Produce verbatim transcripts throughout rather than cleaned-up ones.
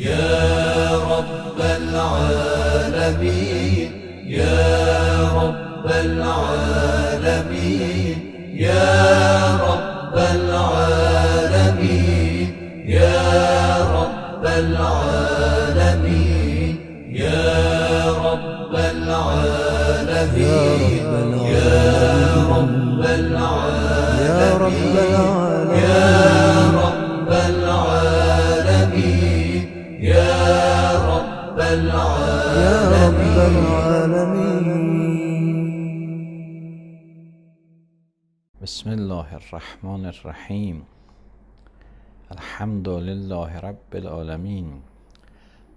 يا رب العالمين يا رب العالمين يا رب العالمين يا رب العالمين يا رب العالمين يا رب العالمين يا رب العالمين يا رب العالمين. بسم الله الرحمن الرحیم. الحمد لله رب العالمین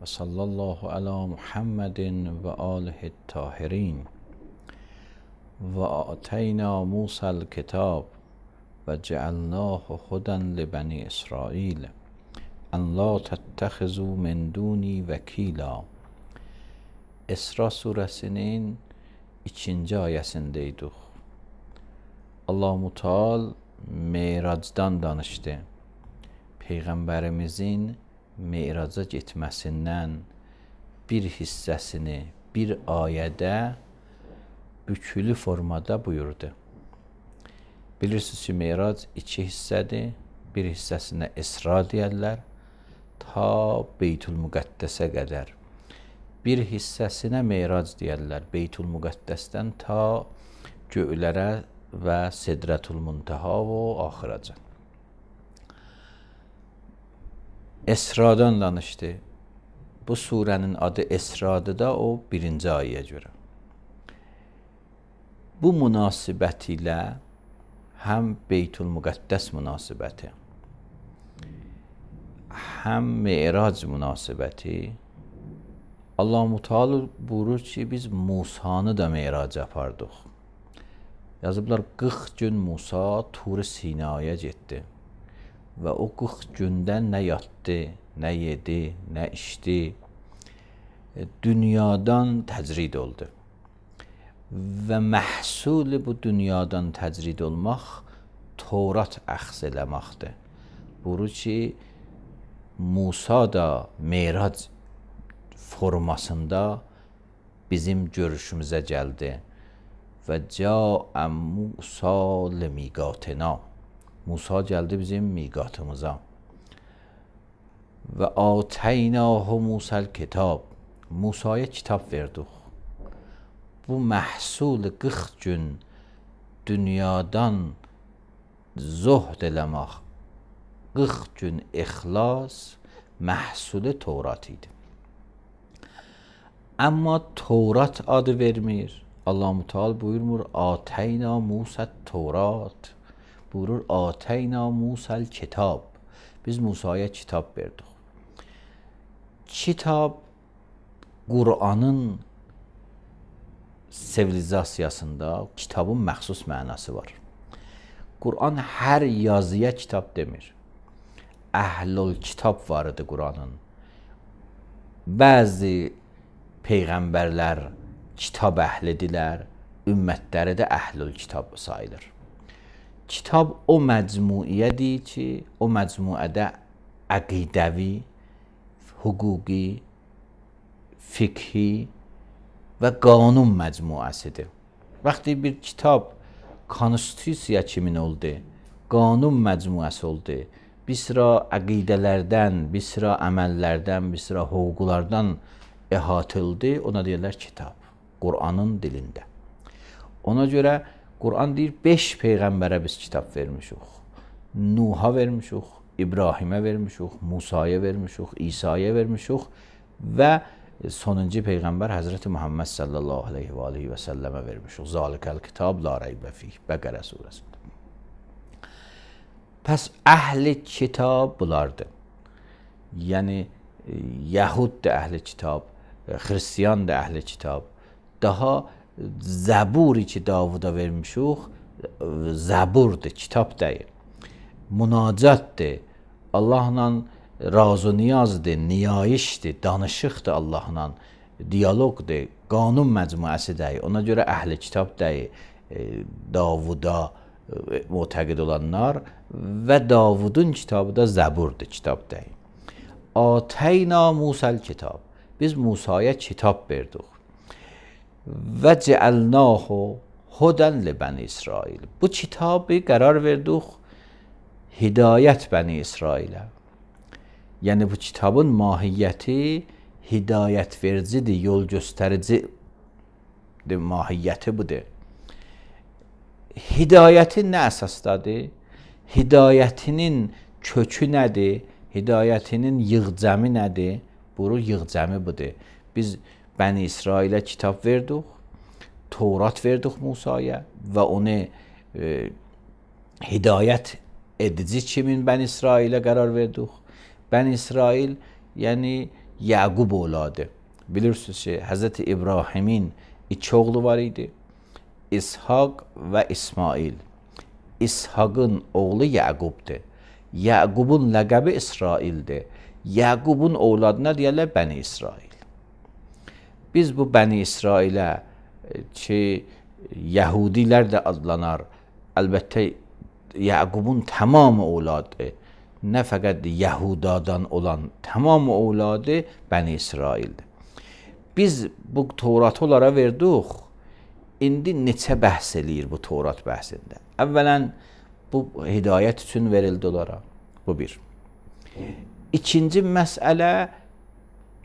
و صلی الله علی محمد و آله الطاهرین. و آتینا موسی الکتاب و جعلناه هدی لبنی اسرائیل ان لا تتخذوا من دونی vəkila. İsra surəsinin ikinci ayəsindəydik. Allah-u Teala Meyracdan danışdı. Peyğəmbərimizin Meyraca getməsindən bir hissəsini bir ayədə bükülü formada buyurdu. Bilirsiniz ki, Meyrac iki hissədir. Bir hissəsinə İsra deyərlər, ta Beytül-Müqəddəsə qədər. Bir hissəsinə Meyrac deyərlər, Beytül-Müqəddəsdən ta göylərə və Sidrətül-Muntaha və axıracan. Esradan danışdı. Bu surənin adı Esradır da o birinci ayəyə görə. Bu münasibət ilə həm Beytül-Müqəddəs münasibəti, həm Meyrac münasibəti, Allah-u Teala buyurur ki, biz Musanı da Meyraca apardıq. Yazıblar, qırx gün Musa Tur-i Sinaya getdi və o qırx gündə nə yatdı, nə yedi, nə içdi, dünyadan təcrid oldu. Və məhsul bu dünyadan təcrid olmaq Tevrat əxz eləməkdir. Buyurur ki, Musa da Meyrac formasında bizim görüşümüzə gəldi. Və cəə Musa limiqatina. Musa gəldi bizim miqatımıza. Və ateynahu Musa'l kitab. Musa'ya kitab verdik. Bu məhsul qırx gün dünyadan zuhd eləmək, qırx gün ixlas məhsulu Tevrat idi. Amma Tevrat adı vermir. Allah-u Teala buyurmur, ateyna Musa'l Tevrat. Buyurur, ateyna Musa'l kitab. Biz Musa'ya kitab verdik. Kitab Qur'anın sivilizasiyasında kitabın məxsus mənası var. Qur'an hər yazıya kitab demir. Əhlül kitab var idi Qur'anın. Bəzi peyğəmbərlər kitab əhlidirlər, ümmətləri də əhlül kitab sayılır. Kitab o məcmuiyyədir ki, o məcmuədə əqidəvi, hüquqi, fiqhi və qanun məcmuəsidir. Vaxtı bir kitab konstitusiya kimin oldu, qanun məcmuəsi oldu, bir sıra əqidələrdən, bir sıra əməllərdən, bir sıra hüquqlardan əhatıldı, ona deyirlər kitab, Qur'anın dilində. Ona görə Qur'an deyir, beş peyğəmbərə biz kitab vermişik. Nuh'a vermişik, İbrahimə vermişik, Musa'ya vermişik, İsa'ya vermişik və sonuncu peyğəmbər Həzrəti Muhammed sallallahu aleyhi və aleyhi və səlləmə vermişik. Zalikəl kitab la reybə fih. Bəqərə surəsində. Pəs əhli kitab bulardır. Yəni, Yəhud da əhli kitab, Xristiyan da əhli kitab. Daha Zəburi ki Davuda vermişik, Zəburdur, kitab deyil. Münacatdır, Allahla razı niyazdır, niyayişdir, danışıqdır Allahla, diyaloqdur, qanun məcmuəsi deyil. Ona görə əhli kitab deyil, Davuda mütəqid olanlar və Davudun kitabı da Zəburdur, kitab deyil. Ateyna Musa'l kitab. Biz Musa'ya kitap verdik. Və cealnahu hudan li bani İsrail. Bu kitabı qərar verdik hidayət bani İsrailə. Yəni bu kitabın mahiyyəti hidayət vericidir, yol göstərici mahiyyəti budur. Hidayətin nə əsasdadır? Hidayətinin kökü nədir? Hidayətinin yığcəmi nədir? Buru yığcəmi budur. Biz Bəni İsrailə kitab verdik, Tevrat verdik Musaya və onu e, hidayət edici kimin Bəni İsrailə qərar verdik? Bəni İsrail, yəni Yaqub oğladı. Bilirsiniz ki, Həzrəti İbrahimin iki oğlu var idi. İshak və İsmail. İshakın oğlu Yaqubdur. Yaqubun ləqəbi İsraildir. Yaqubun oğladına deyirlər Bəni İsrail. Biz bu Bəni İsrailə ki, Yəhudilər də adlanar. Əlbəttə, Yaqubun tamamı oğladı. Nə fəqət Yəhudadan olan tamamı oğladı Bəni İsraildir. Biz bu Tevratı onlara verdik. İndi neçə bəhs eləyir bu Tevrat bəhsində? Əvvələn, bu hidayət üçün verildi onlara. Bu bir. İkinci məsələ,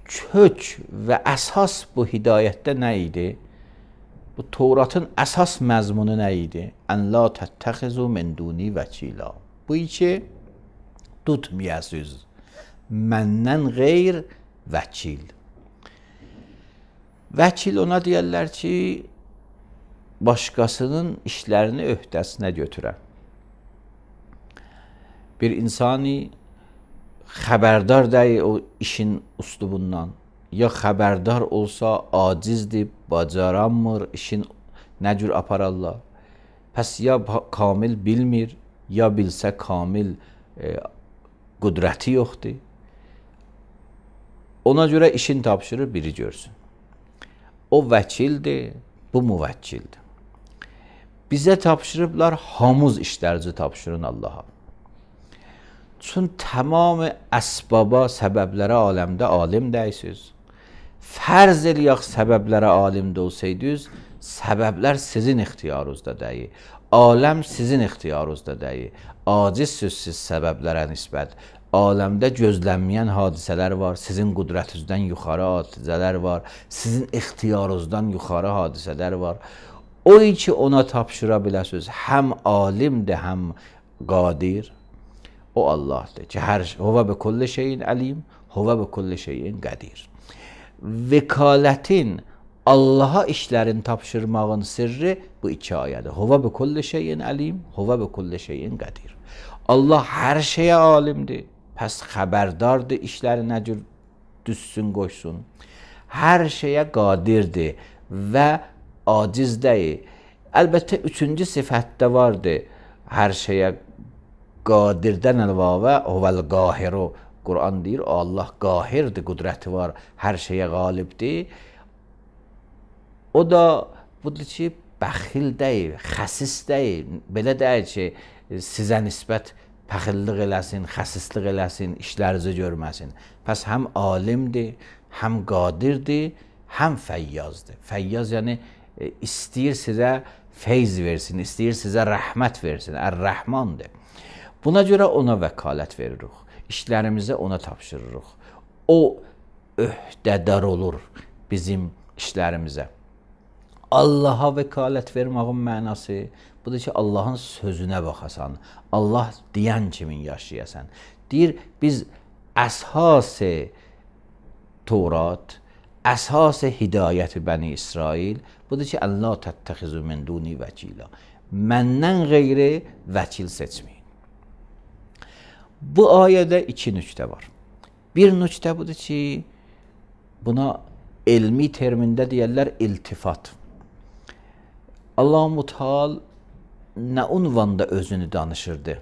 kök və əsas bu hidayətdə nə idi? Bu Tevratın əsas məzmunu nə idi? Ən la təttəxizu min duni vəkila. Bu iki, tutmayasınız məndən qeyr vəkil. Vəkil ona deyərlər ki, başqasının işlərini öhdəsinə götürən. Bir insani xəbərdar deyil o işin üslubundan, ya xəbərdar olsa acizdir, bacaranmır, işin nə cür apararlar. Pəs ya kamil bilmir, ya bilsə kamil e, qüdrəti yoxdur. Ona görə işin tapşırır, biri görsün. O vəkildir, bu müvəkkildir. Bizə tapşırıblar, hamız işlərinizi tapşırın Allaha. Çün tamamı əsbaba, səbəblərə aləmdə alim deyəsiniz. Fərz eləyək səbəblərə alimdə olsaydınız, səbəblər sizin ixtiyarınızda deyil. Aləm sizin ixtiyarınızda deyil. Acizsiniz siz səbəblərə nisbət. Aləmdə gözlənməyən hadisələr var, sizin qüdrətinizdən yuxarı hadisələr var, sizin ixtiyarınızdan yuxarı hadisələr var. O ki ona tapşıra biləsiniz, həm alimdir, həm qadir. O Allahdır ki, hər huvə bi kulli şeyin əlim, huvə bi kulli şeyin qədir. Vekalətin Allaha işlərin tapşırmağın sirri bu iki ayədir. Huvə bi kulli şeyin əlim, huvə bi kulli şeyin qədir. Allah hər şeyə alimdir. Pəs xəbərdardır, işləri nə cür düzsün, qoysun. Hər şeyə qadirdir və aciz deyil. Əlbəttə, üçüncü sifətdə vardır. Hər şeyə qadirdən əlavə, huvəl qahiru. Quran deyir, Allah qahirdir, qüdrəti var, hər şeyə qalibdir. O da budur ki, bəxil deyil, xəsis deyil. Belə deyil ki, sizə nisbət pəxillik eləsin, xəsislik eləsin, işlərinizi görməsin. Pəs həm alimdir, həm qadirdir, həm fəyyazdır. Fəyyaz yəni istəyir sizə feyz versin, istəyir sizə rəhmət versin, Ər-Rəhmandır. Buna görə ona vəkalət veririk, işlərimizi ona tapşırırıq. O öhdədar olur bizim işlərimizə. Allaha vəkalət vermağın mənası budur ki, Allahın sözünə baxasan, Allah deyən kimin yaşayasan. Deyir, biz əsas-ı Tevrat, əsas-ı hidayət-i Bəni İsrail budur ki, ən la təttəxizu min duni vəkila. Məndən qeyri vəkil seçməyin. Bu ayədə iki nüqtə var. Bir nüqtə budur ki, buna elmi termində deyərlər iltifat. Allah-u Teala nə unvanda özünü danışırdı?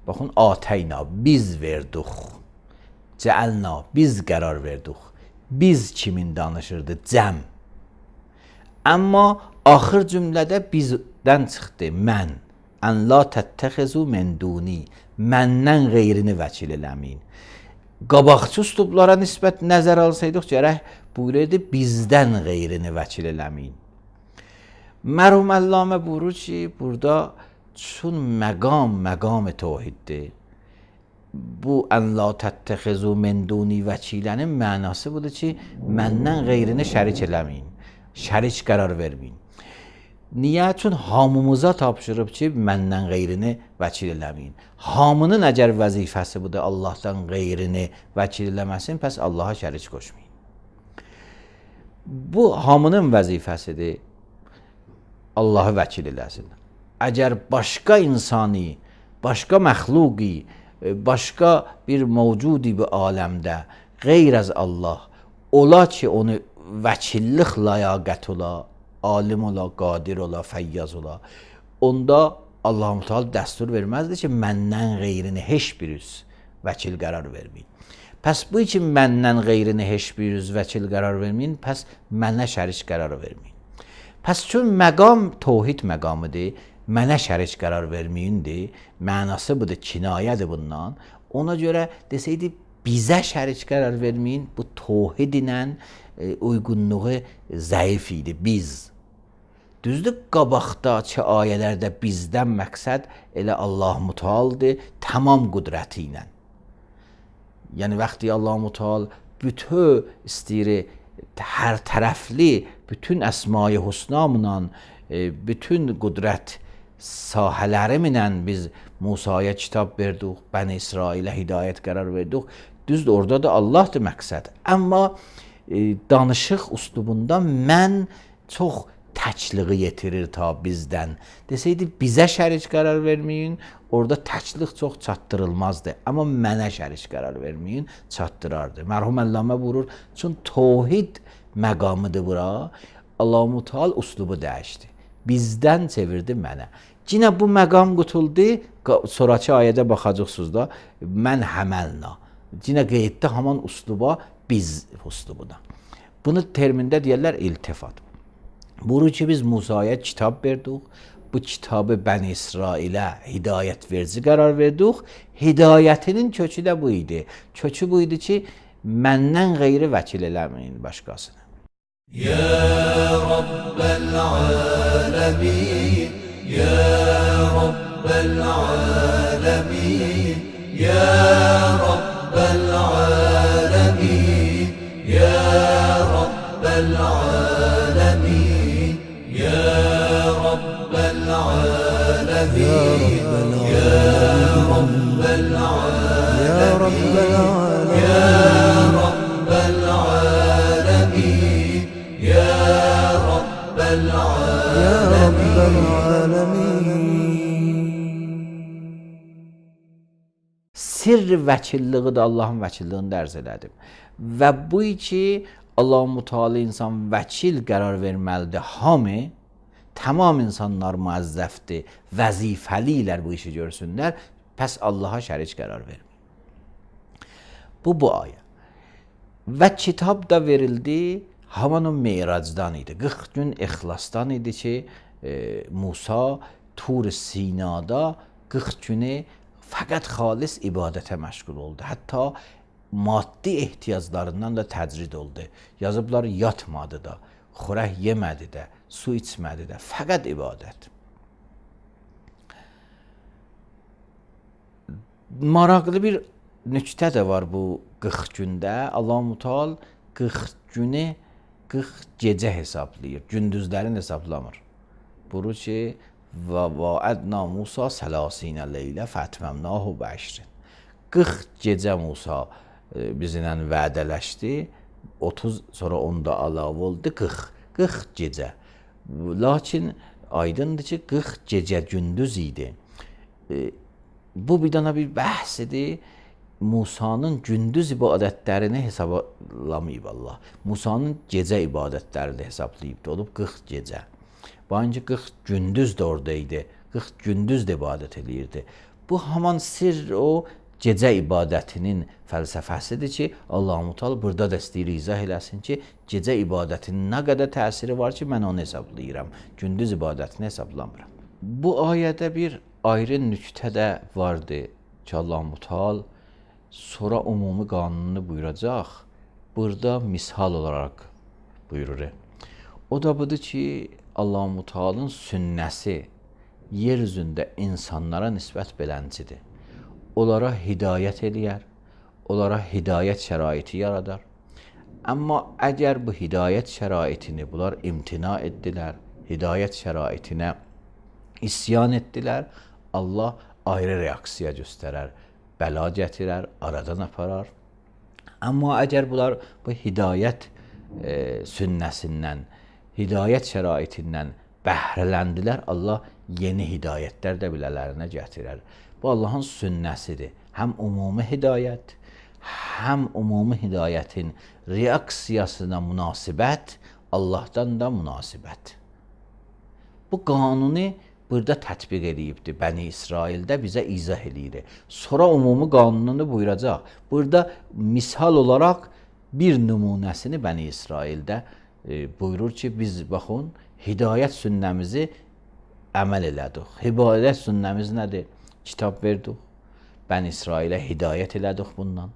Baxın, ateyna, biz verdik. Cealna, biz qərar verdik. Biz kimin danışırdı? Cəm. Amma axır cümlədə bizdən çıxdı, mən. Ən la təttəxizu min duni. Məndən qeyrini vəkil eləməyin. qabaqçı üslublara nisbət nəzər alsaydıq, gərək buyuraydı bizdən qeyrini vəkil eləməyin. Mərhum Əllamə buyurur ki, burada çün məqam məqam tevhiddir. Bu ən la təttəxizu min duni vəkilənin mənası budur ki, məndən qeyrini şərik eləməyin, şərik qərar verməyin. Niyə? Çün hamımıza tapşırıb ki, məndən qeyrini vəkil eləməyin. Hamının əgər vəzifəsi budur, Allahdan qeyrini vəkil eləməsin, pəs Allaha şərik qoşmayın. Bu hamının vəzifəsidir, Allahı vəkil eləsin. Əgər başqa insani, başqa məxluqi, başqa bir mövcudi bir aləmdə qeyr az Allah ola ki, onu vəkillik layaqət ola, alim ola, qadir ola, fəyyaz ola, onda Allah-u Teala dəstur verməzdir ki, məndən qeyrini heç bir üz vəkil qərar verməyin. Pəs bu için məndən qeyrini heç bir üz vəkil qərar verməyin, pəs mənə şərik qərar verməyin. Pəs çün məqam tevhid məqamıdır, mənə şərik qərar verməyindir, mənası budur, kinayədir bundan. Ona görə desəydi, bizə şərik qərar verməyin, bu tevhid ilə e, uyğunluğu zəif idi, biz. Düzdür, qabaqdakı ayələrdə bizdən məqsəd elə Allah-u Teala'dır, tamam qüdrəti ilə. Yəni, vaxtı Allah-u Teala bütün istəyir, hər tərəfli, bütün əsma-i husnamla, bütün qüdrət sahələrimlə biz Musaya kitab verdik, Bəni İsrailə hidayət qərar verdik. Düzdür, orada da Allahdır məqsəd. Amma e, danışıq üslubunda mən çox təkliği yetirir ta bizdən. Desəydi, bizə şərik qərar verməyin, orada təkliq çox çatdırılmazdı. Amma mənə şərik qərar verməyin, çatdırardı. Mərhum Əllamə buyurur, çün tevhid məqamıdır bura, Allah-u Teala üslubu dəyişdi. Bizdən çevirdi mənə. Yine bu məqam qutuldu, sonraki ayədə baxacaqsınız da, mən həməlna. Yine qeyddə haman üsluba, biz üslubuna. Bunu termində deyərlər iltifat. Buyurur ki, biz Musaya kitab verdik, bu kitabı Bəni İsrailə hidayət verici qərar verdik. Hidayətinin kökü də bu idi. Kökü bu idi ki, məndən qeyri vəkil eləməyin başqasını. Ya Rabbel alemin, Ya Rabbel alemin, Ya Rabbel alemin, Ya Rabbel alemin, Ya Rabbel alemin, Ya Rabbel alemin, Ya Rabbel alemin, Ya Rabbel alemin. Sirr vəkilliği də Allahın vəkilliyini dərz elədim. Və bu ki, Allah-u Teala insan vəkil qərar verməlidir. Hamı, tamam insanlar müəzzəfdir, vəzifəlilər bu işi görsünlər, pəs Allaha şərik qərar vermir. Bu, bu ayə. Və kitab da verildi, haman o Meyracdan idi. qırx gün ixlasdan idi ki, e, Musa Tur Sinada qırx günü fəqət xalis ibadətə məşğul oldu. Hətta maddi ehtiyaclarından da təcrid oldu. Yazıblar, yatmadı da, xörək yemədi də, su içmədi də, fəqət ibadət. Maraqlı bir nüktə də var bu qırx gündə. Allah-u Teala qırx günü qırx gecə hesablayır, gündüzlərin hesablamır. Buyurur ki, və vaədna Musa səlasinə leylə fətməmnahu bəşrin. qırx gecə Musa e, bizlə vədələşdi, otuz sonra onda əlavə oldu, qırx, qırx gecə. Lakin aydındır ki, qırx gecə gündüz idi. E, bu bir dana bir bəhs idi. Musa'nın gündüz ibadətlərini hesablamayıb Allah. Musa'nın gecə ibadətlərini hesablayıb olub qırx gecə. Bancı qırx gündüz də oradaydı. qırx gündüz də ibadət eləyirdi. Bu haman sirr o gecə ibadətinin fəlsəfəsidir ki, Allah-u Teala burada da istəyir izah eləsin ki, gecə ibadətinin nə qədər təsiri var ki, mən onu hesablayıram. Gündüz ibadətini hesablamıram. Bu ayədə bir ayrı nüktə də vardı ki, Allah-u Teala sonra umumi qanununu buyuracaq. Burada misal olaraq buyurur. O da budur ki, Allah-u Teala'nın sünnəsi yer üzündə insanlara nisbət beləncidir. Onlara hidayət eləyər, onlara hidayət şəraiti yaradar. Amma əgər bu hidayət şəraitini bunlar imtina etdilər, hidayət şəraitinə isyan etdilər, Allah ayrı reaksiya göstərər, bəla gətirər, aradan aparar. Amma əgər bunlar bu hidayət e, sünnəsindən, hidayət şəraitindən bəhrələndilər, Allah yeni hidayətlər də bilələrinə gətirər. Bu Allahın sünnəsidir. Həm umumi hidayət, həm umumi hidayətin reaksiyasına münasibət, Allahdan da münasibət. Bu qanunu burada tətbiq edibdir. Bəni İsraildə bizə izah eləyir. Sonra umumi qanununu buyuracaq. Burada misal olaraq bir nümunəsini Bəni İsraildə e, buyurur ki, biz baxın, hidayət sünnəmizi əməl elədik. Hidayət sünnəmiz nədir? Kitab verdik. Bəni İsrailə hidayət elədik bundan.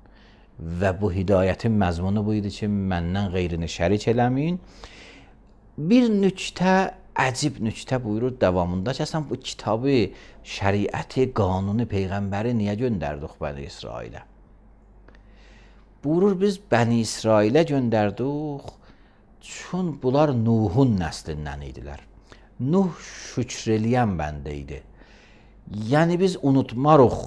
Və bu hidayətin məzmunu bu idi ki, məndən qeyrini şərik eləməyin. Bir nüktə, əcib nüktə buyurur davamında ki, sən bu kitabı, şəriəti, qanunu, peyğəmbəri niyə göndərdik Bəni İsrailə? Buyurur, biz Bəni İsrailə göndərdik, çün bunlar Nuhun nəslindən idilər. Nuh şükr eləyən bəndə idi. Yəni biz unutmarıq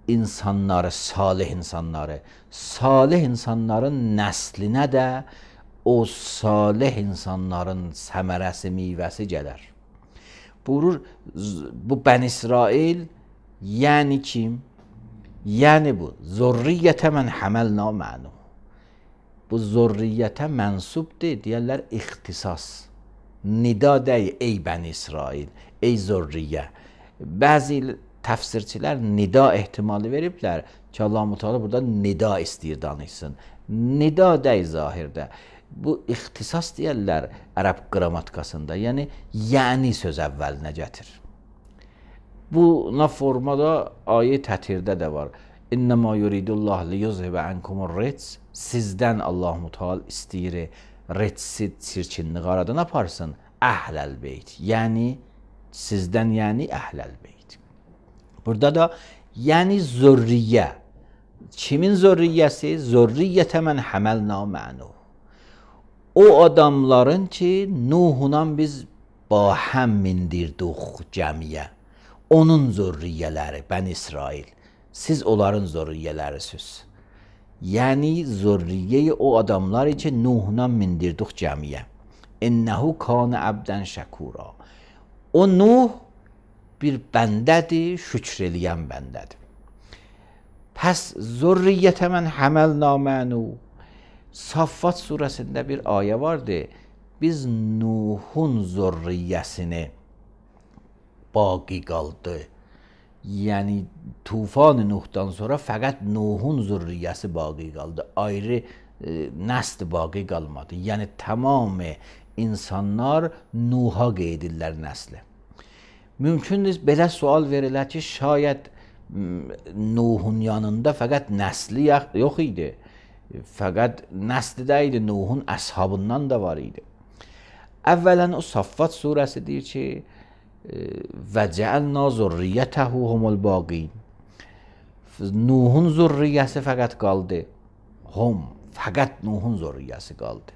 insanları, salih insanları. Salih insanların nəslinə də o salih insanların səmərəsi, meyvəsi gələr. Buyurur, bu Bəni İsrail, yəni kim? Yəni bu, zurriyyətə mən həməlna mənu. Bu zurriyyətə mənsubdir, deyərlər ixtisas. Nida dey, ey Bəni İsrail, ey zurriyyə. Bəzi təfsirçilər nida ehtimalı veriblər ki, Allah-u Teala burada nida istəyir danışsın. Nida dey zahirdə. Bu ixtisas deyərlər ərəb qrammatikasında. Yəni, yəni söz əvvəlinə gətir. Buna formada ayə tətirdə də var. İnnəmə yuridullah liyuzhibə ənkumur ritz. Sizdən Allah-u Teala istəyir ritsi, çirkinliği aradan aparsın. Əhləl beyt. Yəni, sizdən yəni əhləl beyt. Burada da yəni zürriyyə. Kimin zürriyyəsi? Zürriyyətə mən həməlna mənu. O adamların ki, Nuhunla biz bahəm mindirdik cəmiyə. Onun zürriyyələri, Bəni İsrail. Siz onların zürriyyələrisiz. Yəni zürriyyə o adamlar ki, Nuhunla mindirdik cəmiyə. İnnəhu kana əbdən şəkura. O Nuh bir bəndədir, şükr eləyən bəndədir. Pəs zürriyyətə mən həməlna mənu. Saffat surəsində bir ayə vardı. Biz Nuhun zürriyyəsini baqi qaldı. Yəni tufan Nuhdan sonra fəqət Nuhun zürriyyəsi baqi qaldı. Ayrı e, nəsl baqi qalmadı. Yəni tamamı insanlar Nuh'a qeydirlər nəsli. Mümkündür belə sual verilər ki, şayət Nuhun yanında fəqət nəsli yox idi. Fəqət nəsli də idi, Nuhun əshabından da var idi. Əvvələn o Saffat surəsi deyir ki, və cəəlna zurriyyətəhu humul baqin. Nuhun zurriyyəsi fəqət qaldı. Hum, fəqət Nuhun zurriyyəsi qaldı.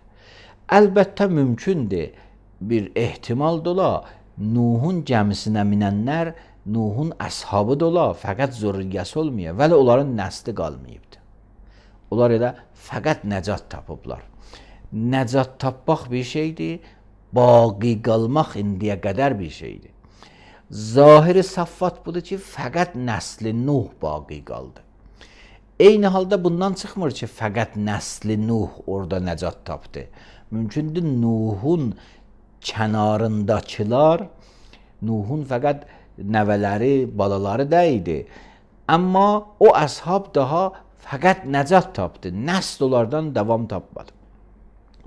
Əlbəttə mümkündür bir ehtimal dola, Nuhun gəmisinə minənlər Nuhun əshabı da ola, fəqət zürriyyəsi olmaya, vəli onların nəsli qalmayıbdır. Onlar elə fəqət nəcat tapıblar. Nəcat tapmaq bir şeydir, baqi qalmaq indiyə qədər bir şeydir. Zahiri Saffat budur ki, fəqət nəsli Nuh baqi qaldı. Eyni halda bundan çıxmır ki, fəqət nəsli Nuh orada nəcat tapdı. Mümkündür Nuhun kənarındakılar, Nuhun fəqət nəvələri, balaları da idi. Amma o əshab daha fəqət nəcat tapdı. Nəsl onlardan davam tapmadı.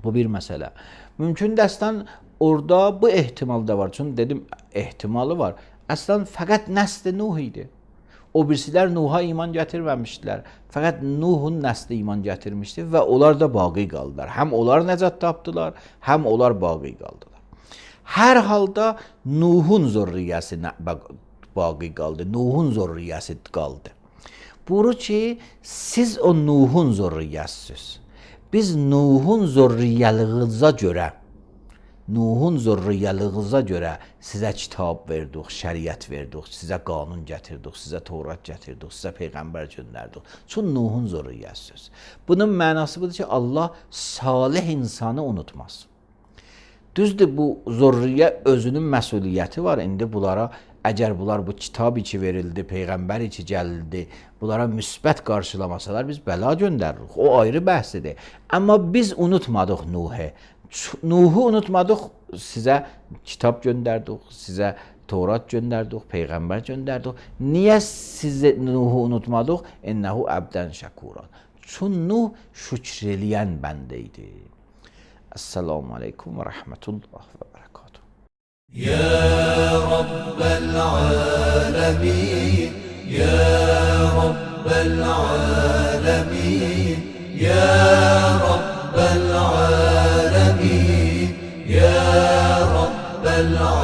Bu bir məsələ. Mümkün dəstən orada bu ehtimal da var. Çünki dedim ehtimalı var. Əslən fəqət nəsl Nuh idi. O birisilər Nuh'a iman gətirməmişdilər. Fəqət Nuhun nəsli iman gətirmişdi və onlar da baqi qaldılar. Həm onlar nəcat tapdılar, həm onlar baqi qaldılar. Hər halda Nuhun zürriyyəsi baqi qaldı. Nuhun zürriyyəsi qaldı. Buyurur ki, siz o Nuhun zürriyyəsiniz. Biz Nuhun zürriyyəliyinizə görə Nuhun zürriyyəliyinizə görə sizə kitab verdik, şəriət verdik, sizə qanun gətirdik, sizə Tövrat gətirdik, sizə peyğəmbər göndərdik. Çünki Nuhun zürriyyəsiniz. Bunun mənası budur ki, Allah salih insanı unutmaz. Düzdür, bu zürriyyə özünün məsuliyyəti var. İndi bunlara, əgər bunlar bu kitab içi verildi, peyğəmbər içi gəlildi, bunlara müsbət qarşılamasalar biz bəla göndəririk. O ayrı bəhsidir. Amma biz unutmadıq Nuh'ı. Nuh'u unutmadıq, sizə kitab göndərdik, sizə Tövrat göndərdik, peyğəmbər göndərdik. Niyə sizə Nuh'u unutmadıq? İnnehu əbdən şəkuran. Çünki Nuh şükr eləyən bəndə idi. Esselamu aleykum və rəhmətullah və bərəkatuhu. Ya Rabbel alemin, Ya Rabbel alemin, Ya Rabbel alemin, Ya Rabbel alemin.